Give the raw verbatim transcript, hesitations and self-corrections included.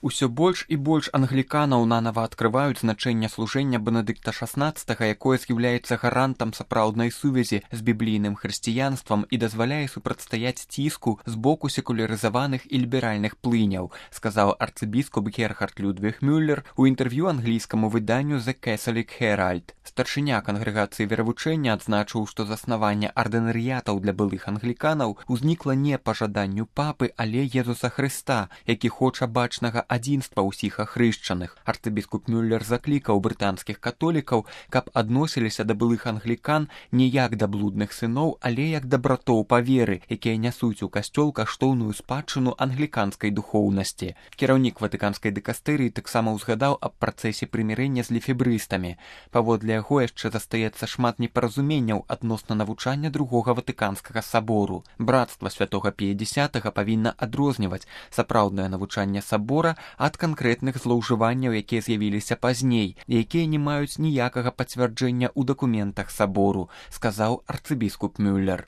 Усё больш і больш англіканаў нанава адкрываюць значэнне служэння Бенедыкта шаснаццатага, якое з'яўляецца гарантам сапраўднай сувязі з біблійным хрысціянствам і дазваляе супрацьстаяць ціску з боку секулярызаваных і ліберальных плыняў, сказаў арцыбіскуп Герхард Людвіг Мюллер у інтэрв'ю англійскаму выданню The Catholic Herald. Старшыня кангрэгацыі веравучэння адзначыў, што заснаванне ардынарыятаў для былых англіканаў узнікла не па жаданню папы, але Езуса Хрыста, які хоча бачнага адзінства ўсіх ахрышчаных. Арцыбіскуп Мюллер заклікаў брытанскіх католікаў, каб адносіліся да былых англікан не як да блудных сыноў, але як да братоў па веры, якія нясуць у касцёл каштоўную спадчыну англіканскай духоўнасці. Кіраўнік ватыканскай дыкастэрыі таксама ўзгадаў аб працэсе прымірэння з лефебрыстамі. Паводле яго яшчэ застаецца шмат непаразуменняў адносна навучання другога ватыканскага сабору. Брацтва святога Пія дзесятага павінна адрозніваць сапраўднае навучанне сабора ад канкрэтных злоўжыванняў, якія з'явіліся пазней, якія не маюць ніякага пацвярджэння ў дакументах сабору, сказаў арцыбіскуп Мюллер.